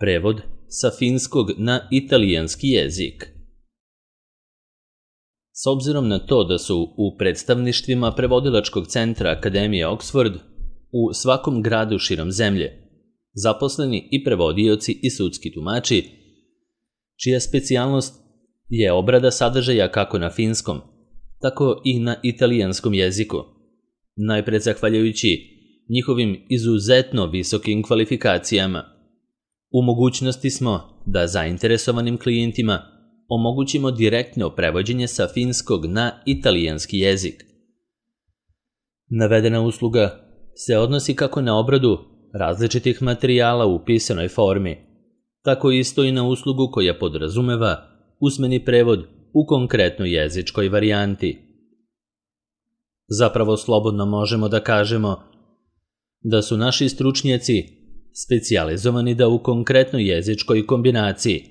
Prevod sa finskog na italijanski jezik. S obzirom na to da su u predstavništvima prevodilačkog centra Akademije Oxford u svakom gradu širom zemlje zaposleni i prevodioci i sudski tumači, čija specijalnost je obrada sadržaja kako na finskom, tako i na italijanskom jeziku, najpre zahvaljujući njihovim izuzetno visokim kvalifikacijama. U mogućnosti smo da zainteresovanim klijentima omogućimo direktno prevođenje sa finskog na italijanski jezik. Navedena usluga se odnosi kako na obradu različitih materijala u pisanoj formi, tako isto i na uslugu koja podrazumeva usmeni prevod u konkretnoj jezičkoj varijanti. Zapravo slobodno možemo da kažemo da su naši stručnjaci specijalizovani da u konkretnoj jezičkoj kombinaciji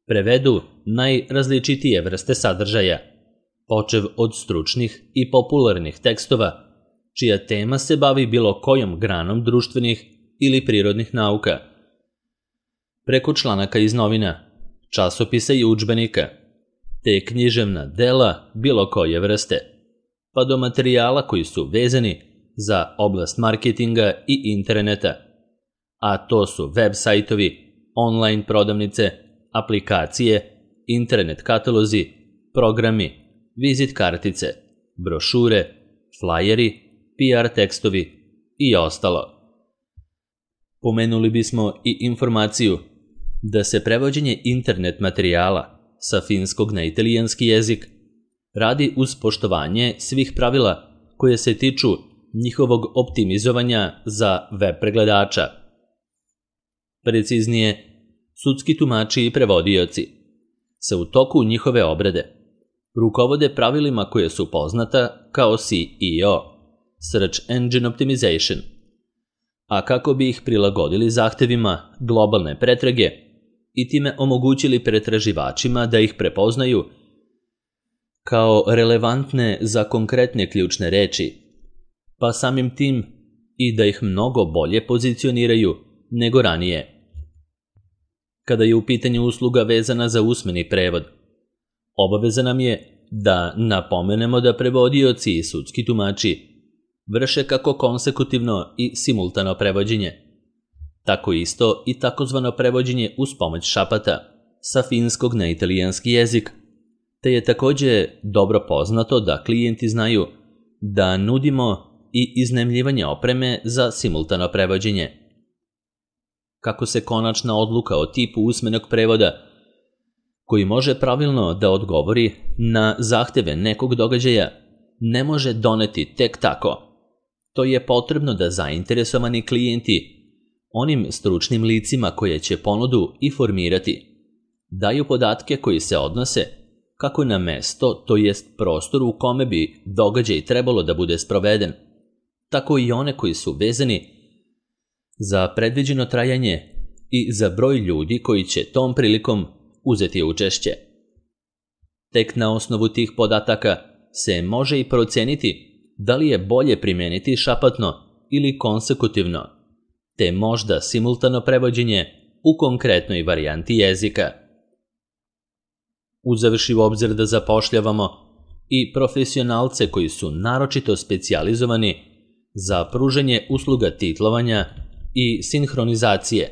prevedu najrazličitije vrste sadržaja, počev od stručnih i popularnih tekstova, čija tema se bavi bilo kojom granom društvenih ili prirodnih nauka, preko članaka iz novina, časopisa i udžbenika, te književna dela bilo koje vrste, pa do materijala koji su vezani za oblast marketinga i interneta, a to su web sajtovi, online prodavnice, aplikacije, internet katalozi, programi, vizit kartice, brošure, flajeri, PR tekstovi i ostalo. Pomenuli bismo i informaciju da se prevođenje internet materijala sa finskog na italijanski jezik radi uz poštovanje svih pravila koje se tiču njihovog optimizovanja za web pregledača. Preciznije, sudski tumači i prevodioci se u toku njihove obrade rukovode pravilima koje su poznata kao SEO, Search Engine Optimization, a kako bi ih prilagodili zahtevima globalne pretrage i time omogućili pretraživačima da ih prepoznaju kao relevantne za konkretne ključne reči, pa samim tim i da ih mnogo bolje pozicioniraju nego ranije. Kada je u pitanju usluga vezana za usmeni prevod, obaveza nam je da napomenemo da prevodioci i sudski tumači vrše kako konsekutivno i simultano prevođenje, tako isto i takozvano prevođenje uz pomoć šapata sa finskog na italijanski jezik, te je također dobro poznato da klijenti znaju da nudimo i iznajmljivanje opreme za simultano prevođenje. Kako se konačna odluka o tipu usmenog prevoda, koji može pravilno da odgovori na zahteve nekog događaja, ne može doneti tek tako. To je potrebno da zainteresovani klijenti onim stručnim licima koje će ponudu i formirati daju podatke koji se odnose kako na mesto, to jest prostor u kome bi događaj trebalo da bude sproveden, tako i one koji su vezani za predviđeno trajanje i za broj ljudi koji će tom prilikom uzeti učešće. Tek na osnovu tih podataka se može i proceniti da li je bolje primeniti šapatno ili konsekutivno, te možda simultano prevođenje u konkretnoj varijanti jezika. Uzevši u obzir da zapošljavamo i profesionalce koji su naročito specijalizovani za pružanje usluga titlovanja i sinhronizacije,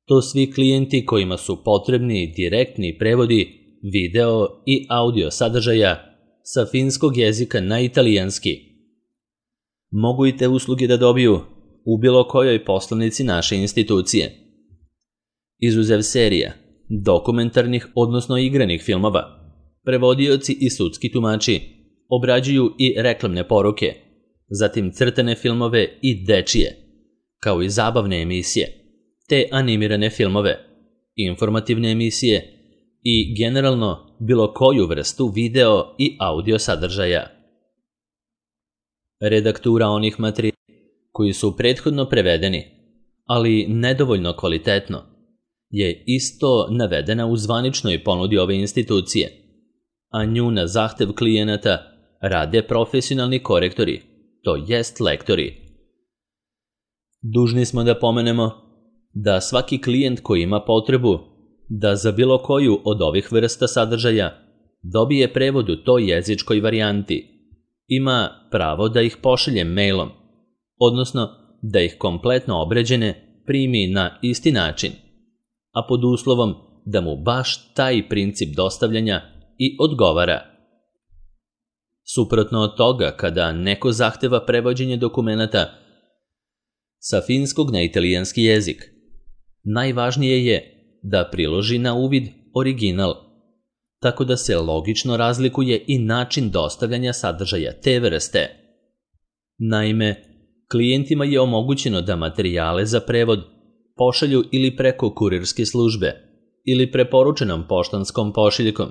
to svi klijenti kojima su potrebni direktni prevodi video i audio sadržaja sa finskog jezika na italijanski. Mogu i te usluge da dobiju u bilo kojoj poslovnici naše institucije. Izuzev serija, dokumentarnih odnosno igranih filmova, prevodioci i sudski tumači obrađuju i reklamne poruke, zatim crtane filmove i dečije, kao i zabavne emisije, te animirane filmove, informativne emisije i generalno bilo koju vrstu video i audio sadržaja. Redaktura onih materijala koji su prethodno prevedeni, ali nedovoljno kvalitetno, je isto navedena u zvaničnoj ponudi ove institucije, a nju na zahtev klijenata rade profesionalni korektori, to jest lektori. Dužni smo da pomenemo da svaki klijent koji ima potrebu da za bilo koju od ovih vrsta sadržaja dobije prevod u toj jezičkoj varijanti, ima pravo da ih pošalje mailom, odnosno da ih kompletno obrađene primi na isti način, a pod uslovom da mu baš taj princip dostavljanja i odgovara. Suprotno od toga, kada neko zahteva prevođenje dokumenata sa finskog na italijanski jezik, najvažnije je da priloži na uvid original, tako da se logično razlikuje i način dostavljanja sadržaja te vrste. Naime, klijentima je omogućeno da materijale za prevod pošalju ili preko kurirske službe ili preporučenom poštanskom pošiljkom,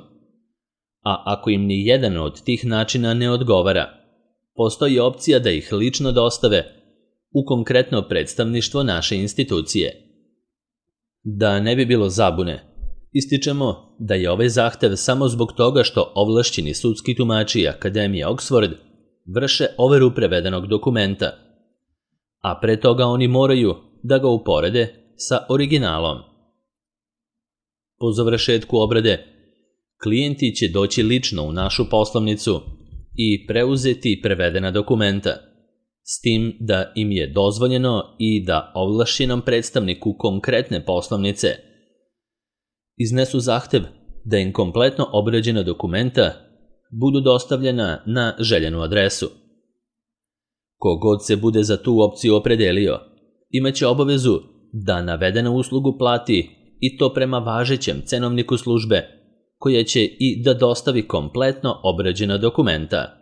a ako im ni jedan od tih načina ne odgovara, postoji opcija da ih lično dostave u konkretno predstavništvo naše institucije. Da ne bi bilo zabune, ističemo da je ovaj zahtev samo zbog toga što ovlašćeni sudski tumači Akademije Oxford vrše overu prevedenog dokumenta, a pre toga oni moraju da ga uporede sa originalom. Po završetku obrade, klijenti će doći lično u našu poslovnicu i preuzeti prevedena dokumenta, s tim da im je dozvoljeno i da ovlašćenom predstavniku konkretne poslovnice iznesu zahtev da im kompletno obrađena dokumenta budu dostavljena na željenu adresu. Kogod se bude za tu opciju opredelio, imaće obavezu da navedenu uslugu plati i to prema važećem cenovniku službe, koja će i da dostavi kompletno obrađena dokumenta.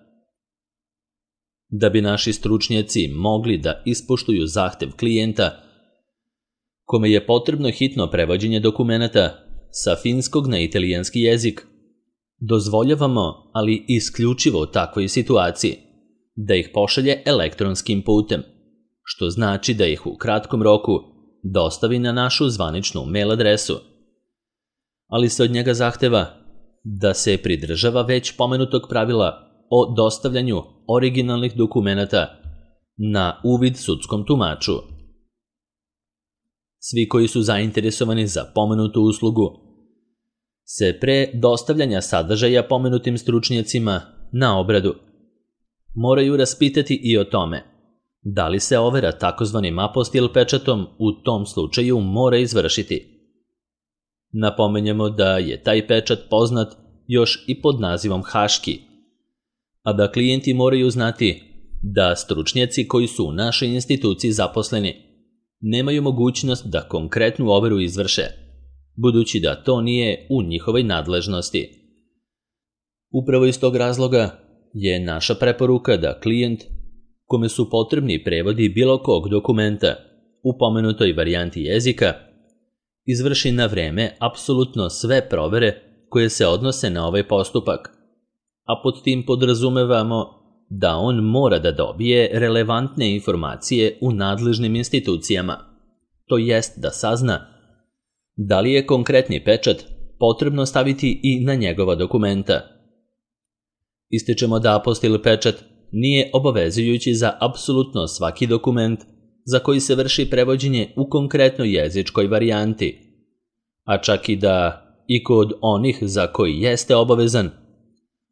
Da bi naši stručnjaci mogli da ispoštuju zahtev klijenta, kome je potrebno hitno prevođenje dokumenata sa finskog na italijanski jezik, dozvoljavamo, ali isključivo u takvoj situaciji, da ih pošalje elektronskim putem, što znači da ih u kratkom roku dostavi na našu zvaničnu mail adresu. Ali se od njega zahteva da se pridržava već pomenutog pravila o dostavljanju originalnih dokumenata na uvid sudskom tumaču. Svi koji su zainteresovani za pomenutu uslugu se pre dostavljanja sadržaja pomenutim stručnjacima na obradu moraju raspitati i o tome da li se overa takozvanim apostil pečatom u tom slučaju mora izvršiti. Napomenjemo da je taj pečat poznat još i pod nazivom haški, a da klijenti moraju znati da stručnjaci koji su u našoj instituciji zaposleni nemaju mogućnost da konkretnu overu izvrše, budući da to nije u njihovoj nadležnosti. Upravo iz tog razloga je naša preporuka da klijent, kome su potrebni prevodi bilo kog dokumenta u pomenutoj varijanti jezika, izvrši na vreme apsolutno sve provere koje se odnose na ovaj postupak, a pod tim podrazumevamo da on mora da dobije relevantne informacije u nadležnim institucijama, to jest da sazna da li je konkretni pečat potrebno staviti i na njegova dokumenta. Ističemo da apostil pečat nije obavezujući za apsolutno svaki dokument za koji se vrši prevođenje u konkretnoj jezičkoj varijanti, a čak i da i kod onih za koji jeste obavezan,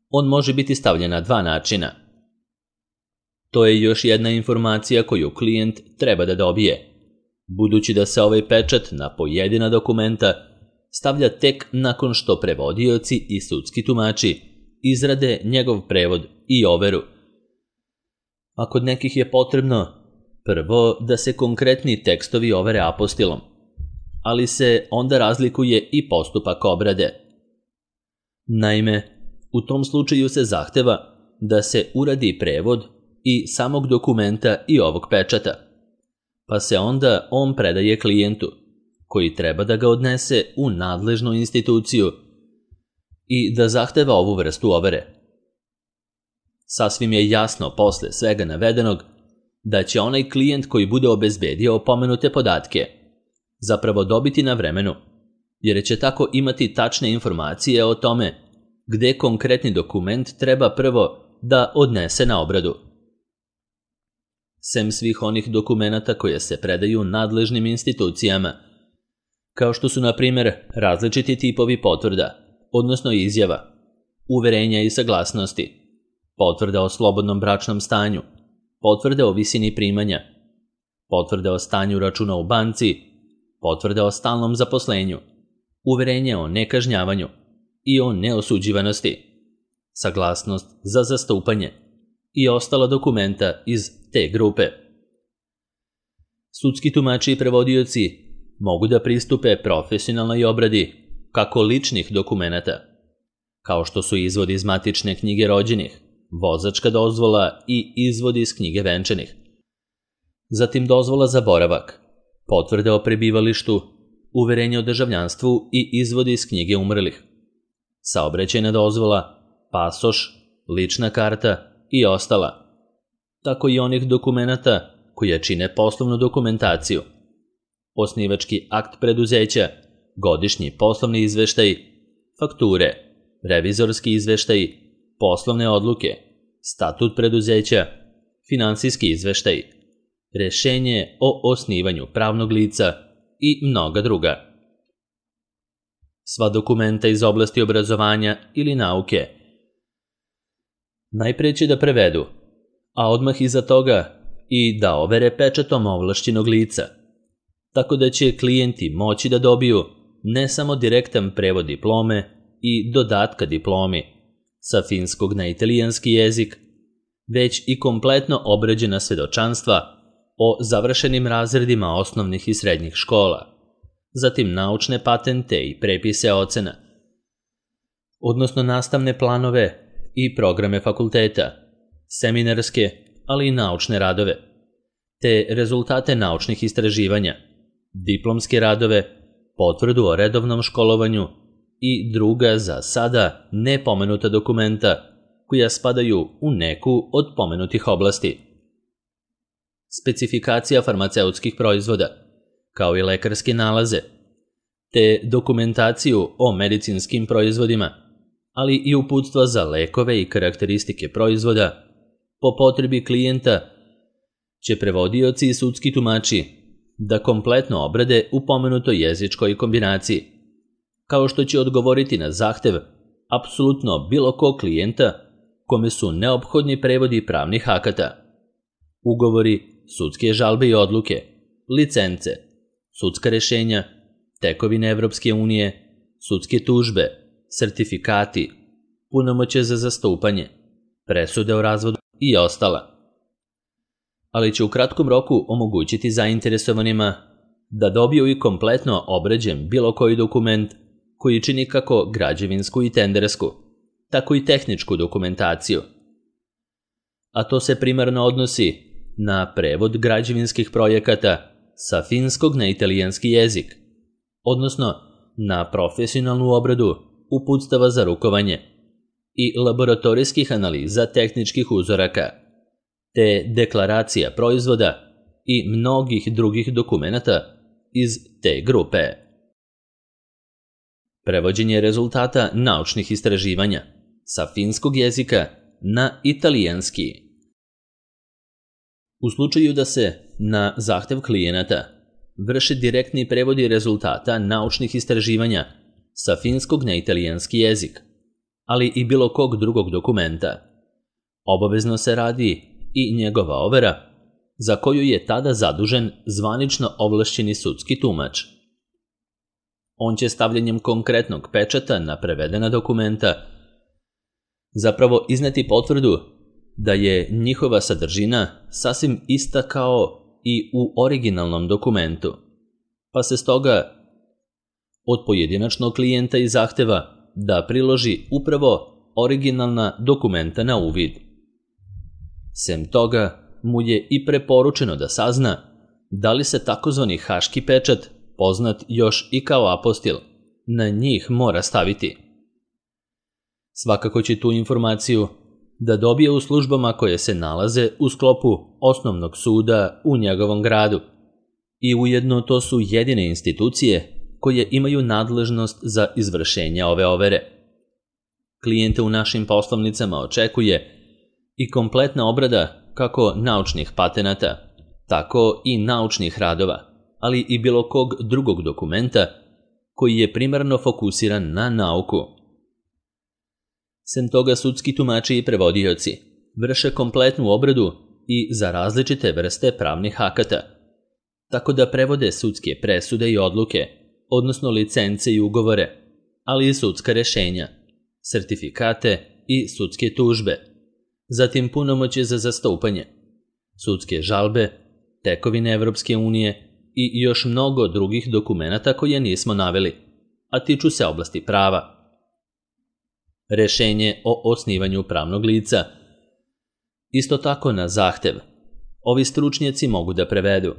on može biti stavljen na dva načina. To je još jedna informacija koju klijent treba da dobije, budući da se ovaj pečat na pojedina dokumenta stavlja tek nakon što prevodioci i sudski tumači izrade njegov prevod i overu. A kod nekih je potrebno prvo da se konkretni tekstovi overe apostilom, ali se onda razlikuje i postupak obrade. Naime, u tom slučaju se zahteva da se uradi prevod i samog dokumenta i ovog pečata, pa se onda on predaje klijentu, koji treba da ga odnese u nadležnu instituciju i da zahteva ovu vrstu overe. Sasvim je jasno posle svega navedenog da će onaj klijent koji bude obezbedio pomenute podatke zapravo dobiti na vremenu, jer će tako imati tačne informacije o tome gde konkretni dokument treba prvo da odnese na obradu. sem svih onih dokumenata koje se predaju nadležnim institucijama, kao što su, na primjer, različiti tipovi potvrda, odnosno izjava, uverenja i saglasnosti, potvrda o slobodnom bračnom stanju, potvrde o visini primanja, potvrde o stanju računa u banci, potvrde o stalnom zaposlenju, uverenje o nekažnjavanju i o neosuđivanosti, saglasnost za zastupanje i ostala dokumenta iz te grupe. Sudski tumači i prevodioci mogu da pristupe profesionalnoj obradi kako ličnih dokumenata, kao što su izvod iz matične knjige rođenih, vozačka dozvola i izvod iz knjige venčanih, zatim dozvola za boravak, potvrde o prebivalištu, uverenje o državljanstvu i izvod iz knjige umrlih, saobraćajna dozvola, pasoš, lična karta i ostala, tako i onih dokumenata koje čine poslovnu dokumentaciju, osnivački akt preduzeća, godišnji poslovni izveštaj, fakture, revizorski izveštaj, poslovne odluke, statut preduzeća, finansijski izveštaj, rešenje o osnivanju pravnog lica i mnoga druga. Sva dokumenta iz oblasti obrazovanja ili nauke najpre će da prevedu, a odmah iza toga i da overe pečatom ovlašćenog lica, tako da će klijenti moći da dobiju ne samo direktan prevod diplome i dodatka diplomi sa finskog na italijanski jezik, već i kompletno obrađena svedočanstva o završenim razredima osnovnih i srednjih škola, zatim naučne patente i prepise ocena, odnosno nastavne planove i programe fakulteta, seminarske, ali i naučne radove, te rezultate naučnih istraživanja, diplomske radove, potvrdu o redovnom školovanju i druga za sada nepomenuta dokumenta koja spadaju u neku od pomenutih oblasti. Specifikacija farmaceutskih proizvoda, kao i lekarske nalaze, te dokumentaciju o medicinskim proizvodima, ali i uputstva za lekove i karakteristike proizvoda, po potrebi klijenta će prevodioci i sudski tumači da kompletno obrade u pomenutoj jezičkoj kombinaciji, kao što će odgovoriti na zahtev apsolutno bilo kog klijenta kome su neophodni prevodi pravnih akata, ugovori, sudske žalbe i odluke, licence, sudska rešenja, tekovine Evropske unije, sudske tužbe, sertifikati, punomoćje za zastupanje, presude o razvodu i ostala. Ali će u kratkom roku omogućiti zainteresovanima da dobiju i kompletno obrađen bilo koji dokument koji čini kako građevinsku i tendersku, tako i tehničku dokumentaciju. A to se primarno odnosi na prevod građevinskih projekata sa finskog na italijanski jezik, odnosno na profesionalnu obradu uputstava za rukovanje i laboratorijskih analiza tehničkih uzoraka, te deklaracija proizvoda i mnogih drugih dokumenata iz te grupe. Prevođenje rezultata naučnih istraživanja sa finskog jezika na italijanski. U slučaju da se na zahtev klijenata vrše direktni prevodi rezultata naučnih istraživanja sa finskog na italijanski jezik, ali i bilo kog drugog dokumenta, obavezno se radi i njegova overa, za koju je tada zadužen zvanično ovlašćeni sudski tumač. On će stavljanjem konkretnog pečata na prevedena dokumenta zapravo izneti potvrdu da je njihova sadržina sasvim ista kao i u originalnom dokumentu, pa se stoga od pojedinačnog klijenta i zahteva da priloži upravo originalna dokumenta na uvid. Sem toga mu je i preporučeno da sazna da li se takozvani haški pečat, poznat još i kao apostil, na njih mora staviti. Svakako će tu informaciju da dobije u službama koje se nalaze u sklopu osnovnog suda u njegovom gradu i ujedno to su jedine institucije koje imaju nadležnost za izvršenje ove overe. Klijente u našim poslovnicama očekuje i kompletna obrada kako naučnih patenata, tako i naučnih radova, ali i bilo kog drugog dokumenta koji je primarno fokusiran na nauku. Sem toga, sudski tumači i prevodioci vrše kompletnu obradu i za različite vrste pravnih akata, tako da prevode sudske presude i odluke, odnosno licence i ugovore, ali i sudska rešenja, sertifikate i sudske tužbe, zatim punomoćje za zastupanje, sudske žalbe, tekovine Evropske unije i još mnogo drugih dokumenata koje nismo naveli, a tiču se oblasti prava. Rešenje o osnivanju pravnog lica. Isto tako na zahtev. Ovi stručnjaci mogu da prevedu,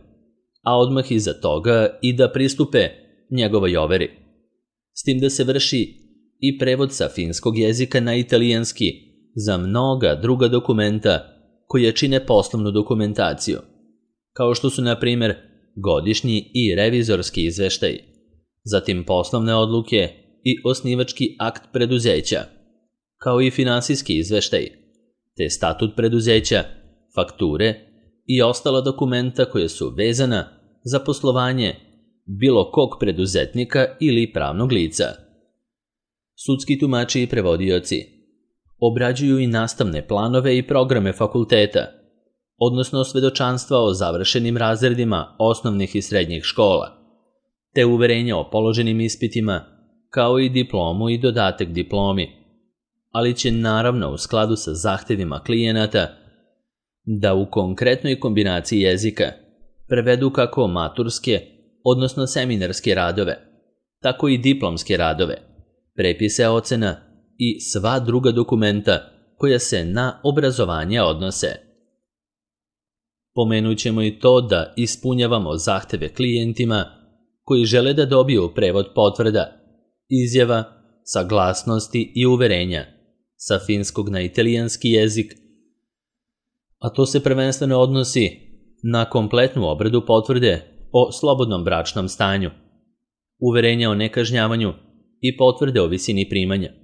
a odmah iza toga i da pristupe njegovoj overi. S tim da se vrši i prevod sa finskog jezika na italijanski za mnoga druga dokumenta koje čine poslovnu dokumentaciju, kao što su, na primjer, godišnji i revizorski izveštaj, zatim poslovne odluke i osnivački akt preduzeća, kao i finansijski izveštaj, te statut preduzeća, fakture i ostala dokumenta koje su vezana za poslovanje bilo kog preduzetnika ili pravnog lica. Sudski tumači i prevodioci obrađuju i nastavne planove i programe fakulteta, odnosno svedočanstva o završenim razredima osnovnih i srednjih škola, te uverenja o položenim ispitima, kao i diplomu i dodatak diplomi, ali će naravno u skladu sa zahtevima klijenata da u konkretnoj kombinaciji jezika prevedu kako maturske, odnosno seminarske radove, tako i diplomske radove, prepise ocena i sva druga dokumenta koja se na obrazovanje odnose. Pomenut ćemo i to da ispunjavamo zahteve klijentima koji žele da dobiju prevod potvrda, izjava, saglasnosti i uverenja sa finskog na italijanski jezik, a to se prvenstveno odnosi na kompletnu obradu potvrde o slobodnom bračnom stanju, uverenja o nekažnjavanju i potvrde o visini primanja,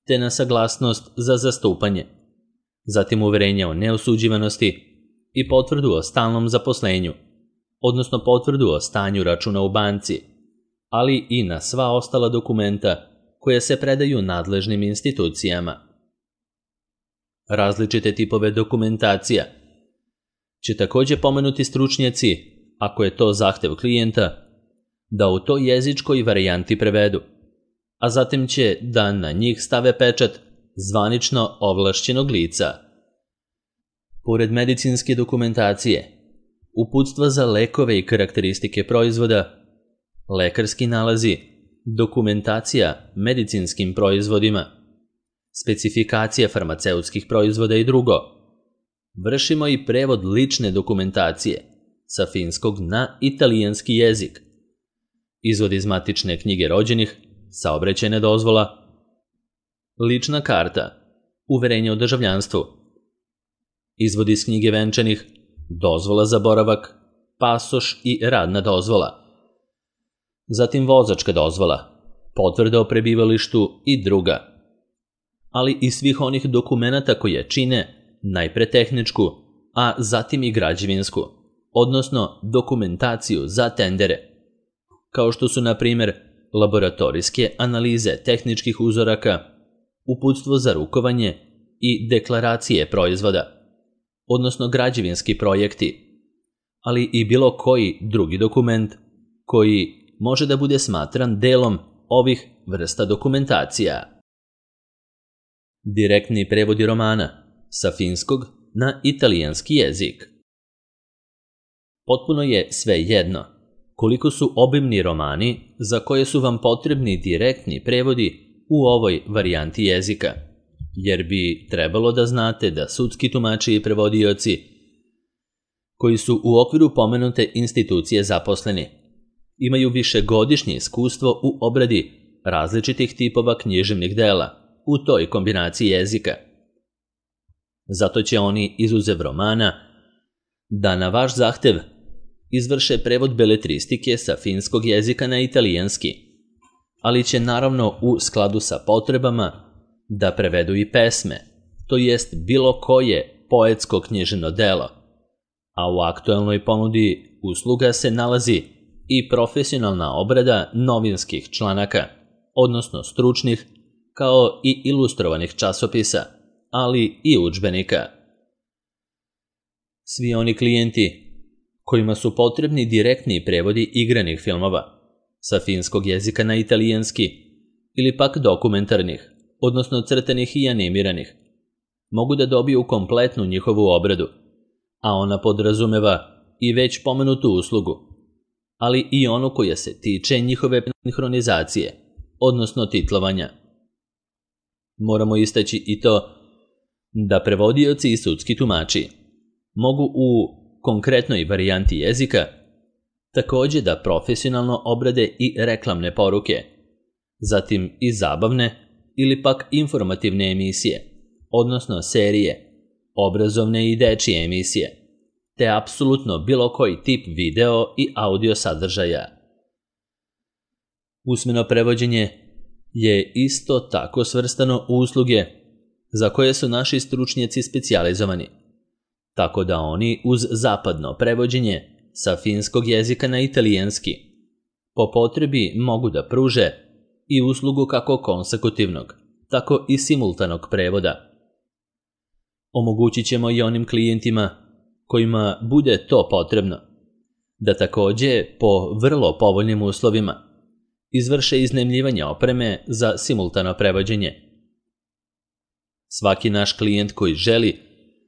te na saglasnost za zastupanje, zatim uverenja o neosuđivanosti i potvrdu o stalnom zaposlenju, odnosno potvrdu o stanju računa u banci, ali i na sva ostala dokumenta koja se predaju nadležnim institucijama. Različite tipove dokumentacija će također pomenuti stručnjaci, ako je to zahtev klijenta, da u toj jezičkoj varijanti prevedu, a zatim će da na njih stave pečat zvanično ovlašćenog lica. Pored medicinske dokumentacije, uputstva za lekove i karakteristike proizvoda, lekarski nalazi, dokumentacija medicinskim proizvodima, specifikacija farmaceutskih proizvoda i drugo. Vršimo i prevod lične dokumentacije sa finskog na italijanski jezik, izvod iz matične knjige rođenih, saobraćajna dozvola, lična karta, uverenje o državljanstvu, izvod iz knjige venčanih, dozvola za boravak, pasoš i radna dozvola, zatim vozačka dozvola, potvrda o prebivalištu i druga, ali i svih onih dokumenata koje čine najpre tehničku, a zatim i građevinsku, odnosno dokumentaciju za tendere, kao što su, na primjer, laboratorijske analize tehničkih uzoraka, uputstvo za rukovanje i deklaracije proizvoda, odnosno građevinski projekti, ali i bilo koji drugi dokument koji može da bude smatran delom ovih vrsta dokumentacija. Direktni prevodi romana sa finskog na italijanski jezik. Potpuno je sve jedno koliko su obimni romani za koje su vam potrebni direktni prevodi u ovoj varijanti jezika, jer bi trebalo da znate da sudski tumači i prevodioci koji su u okviru pomenute institucije zaposleni imaju višegodišnje iskustvo u obradi različitih tipova književnih dela u toj kombinaciji jezika. Zato će oni, izuzev romana, da na vaš zahtev izvrše prevod beletristike sa finskog jezika na italijanski, ali će naravno u skladu sa potrebama da prevedu i pesme, to jest bilo koje poetsko književno delo, a u aktuelnoj ponudi usluga se nalazi i profesionalna obrada novinskih članaka, odnosno stručnih, kao i ilustrovanih časopisa, ali i udžbenika. Svi oni klijenti kojima su potrebni direktni prevodi igranih filmova sa finskog jezika na italijanski ili pak dokumentarnih, odnosno crtanih i animiranih, mogu da dobiju kompletnu njihovu obradu, a ona podrazumeva i već pomenutu uslugu, ali i onu koja se tiče njihove sinhronizacije, odnosno titlovanja. Moramo istaći i to da prevodioci i sudski tumači mogu u konkretnoj varijanti jezika također da profesionalno obrade i reklamne poruke, zatim i zabavne ili pak informativne emisije, odnosno serije, obrazovne i dečije emisije, te apsolutno bilo koji tip video i audio sadržaja. Usmeno prevođenje je isto tako svrstano u usluge za koje su naši stručnjaci specijalizovani, tako da oni uz zapadno prevođenje sa finskog jezika na italijanski po potrebi mogu da pruže i uslugu kako konsekutivnog, tako i simultanog prevoda. Omogućit ćemo i onim klijentima kojima bude to potrebno da također po vrlo povoljnim uslovima izvrše iznajmljivanje opreme za simultano prevođenje. Svaki naš klijent koji želi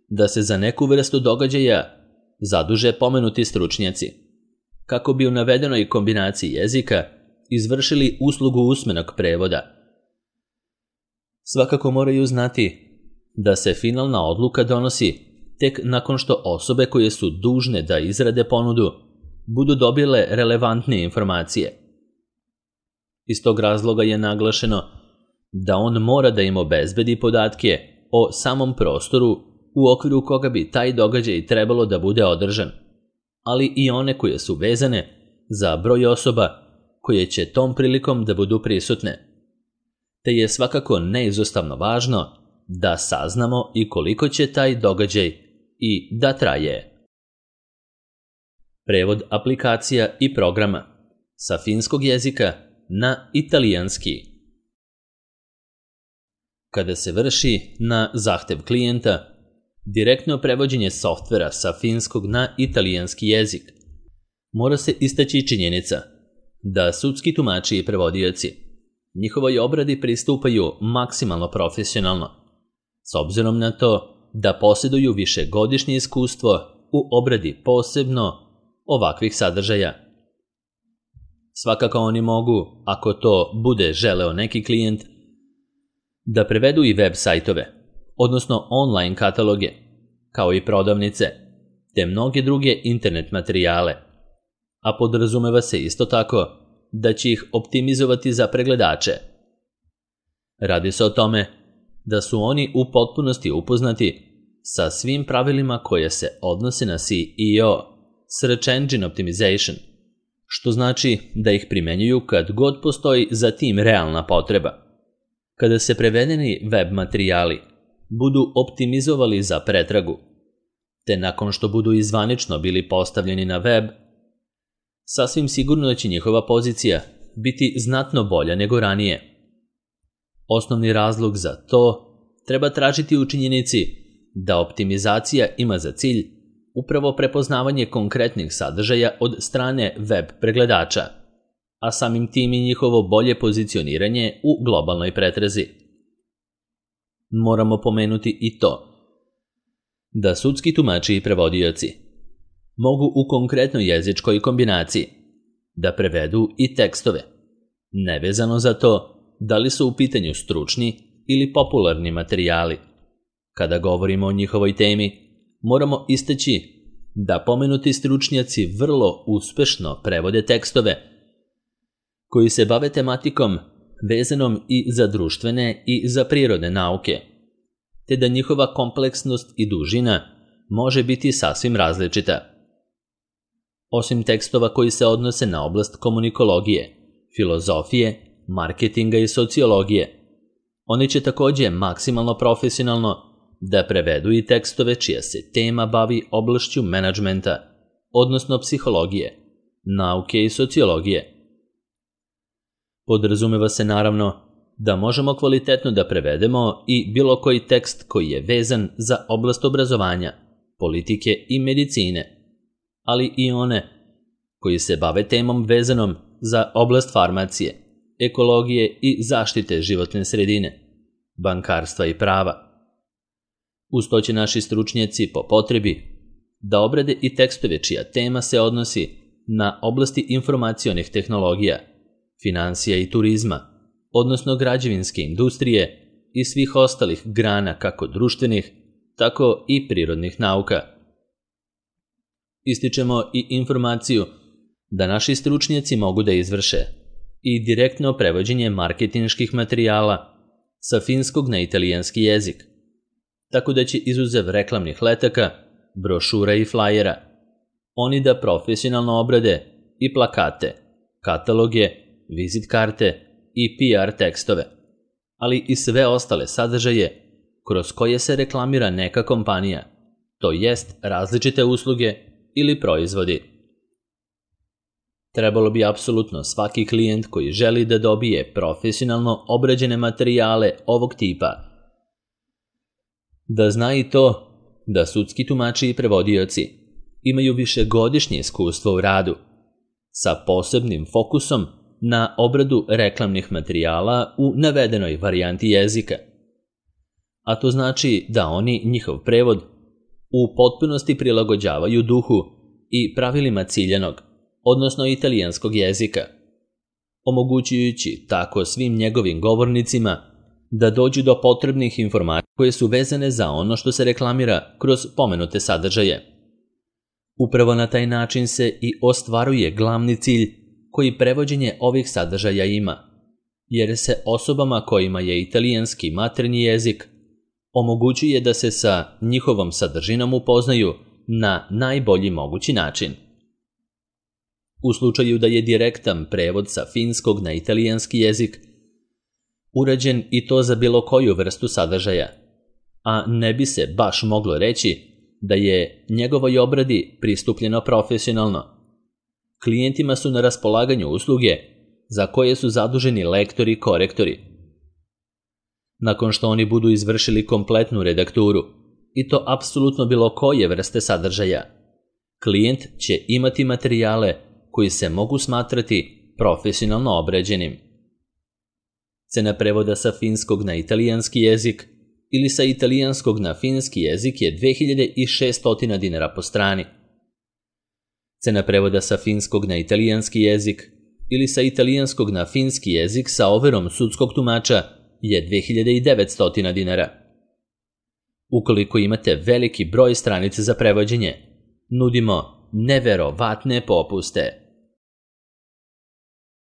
da se za neku vrstu događaja zaduže pomenuti stručnjaci, kako bi u navedenoj kombinaciji jezika izvršili uslugu usmenog prevoda. Svakako moraju znati da se finalna odluka donosi tek nakon što osobe koje su dužne da izrade ponudu budu dobile relevantne informacije. Iz tog razloga je naglašeno da on mora da im obezbedi podatke o samom prostoru u okviru koga bi taj događaj trebalo da bude održan, ali i one koje su vezane za broj osoba koje će tom prilikom da budu prisutne. Te je svakako neizostavno važno da saznamo i koliko će taj događaj i da traje. Prevod aplikacija i programa sa finskog jezika na italijanski. Kada se vrši na zahtev klijenta direktno prevođenje softvera sa finskog na italijanski jezik, mora se istaći činjenica da sudski tumači i prevodioci njihovoj obradi pristupaju maksimalno profesionalno, s obzirom na to da posjeduju višegodišnje iskustvo u obradi posebno ovakvih sadržaja. Svakako oni mogu, ako to bude želeo neki klijent, da prevedu i web sajtove, odnosno online kataloge, kao i prodavnice, te mnoge druge internet materijale, a podrazumeva se isto tako da će ih optimizovati za pregledače. Radi se o tome da su oni u potpunosti upoznati sa svim pravilima koje se odnose na SEO, Search Engine Optimization, što znači da ih primenjuju kad god postoji za tim realna potreba. Kada se prevedeni web materijali budu optimizovali za pretragu, te nakon što budu izvanično bili postavljeni na web, sasvim sigurno da će njihova pozicija biti znatno bolja nego ranije. Osnovni razlog za to treba tražiti u činjenici da optimizacija ima za cilj upravo prepoznavanje konkretnih sadržaja od strane web pregledača, a samim tim i njihovo bolje pozicioniranje u globalnoj pretrazi. Moramo pomenuti i to da sudski tumači i prevodioci mogu u konkretnoj jezičkoj kombinaciji da prevedu i tekstove, nevezano za to da li su u pitanju stručni ili popularni materijali. Kada govorimo o njihovoj temi, moramo istaći da pomenuti stručnjaci vrlo uspešno prevode tekstove koji se bave tematikom vezanom i za društvene i za prirodne nauke, te da njihova kompleksnost i dužina može biti sasvim različita. Osim tekstova koji se odnose na oblast komunikologije, filozofije, marketinga i sociologije, oni će također maksimalno profesionalno da prevedu i tekstove čija se tema bavi oblašću menadžmenta, odnosno psihologije, nauke i sociologije. Podrazumeva se naravno da možemo kvalitetno da prevedemo i bilo koji tekst koji je vezan za oblast obrazovanja, politike i medicine, ali i one koji se bave temom vezanom za oblast farmacije, ekologije i zaštite životne sredine, bankarstva i prava. Uz to će naši stručnjaci po potrebi da obrade i tekstove čija tema se odnosi na oblasti informacionih tehnologija, finansija i turizma, odnosno građevinske industrije i svih ostalih grana kako društvenih, tako i prirodnih nauka. Ističemo i informaciju da naši stručnjaci mogu da izvrše i direktno prevođenje marketinških materijala sa finskog na italijanski jezik, tako da će izuzev reklamnih letaka, brošura i flajera, oni da profesionalno obrade i plakate, kataloge, vizit karte i PR tekstove, ali i sve ostale sadržaje kroz koje se reklamira neka kompanija, to jest različite usluge ili proizvodi. Trebalo bi apsolutno svaki klijent koji želi da dobije profesionalno obrađene materijale ovog tipa da zna i to da sudski tumači i prevodioci imaju višegodišnje iskustvo u radu sa posebnim fokusom na obradu reklamnih materijala u navedenoj varijanti jezika. A to znači da oni njihov prevod u potpunosti prilagođavaju duhu i pravilima ciljanog, odnosno italijanskog jezika, omogućujući tako svim njegovim govornicima da dođu do potrebnih informacija koje su vezane za ono što se reklamira kroz pomenute sadržaje. Upravo na taj način se i ostvaruje glavni cilj koji prevođenje ovih sadržaja ima, jer se osobama kojima je italijanski maternji jezik omogućuje da se sa njihovom sadržinom upoznaju na najbolji mogući način. U slučaju da je direktan prevod sa finskog na italijanski jezik urađen i to za bilo koju vrstu sadržaja, a ne bi se baš moglo reći da je njegovoj obradi pristupljeno profesionalno. Klijentima su na raspolaganju usluge za koje su zaduženi lektori i korektori. Nakon što oni budu izvršili kompletnu redakturu, i to apsolutno bilo koje vrste sadržaja, klijent će imati materijale koji se mogu smatrati profesionalno obrađenim. Cena prevoda sa finskog na italijanski jezik ili sa italijanskog na finski jezik je 2600 dinara po strani. Cena prevoda sa finskog na italijanski jezik ili sa italijanskog na finski jezik sa overom sudskog tumača je 2900 dinara. Ukoliko imate veliki broj stranica za prevođenje, nudimo neverovatne popuste.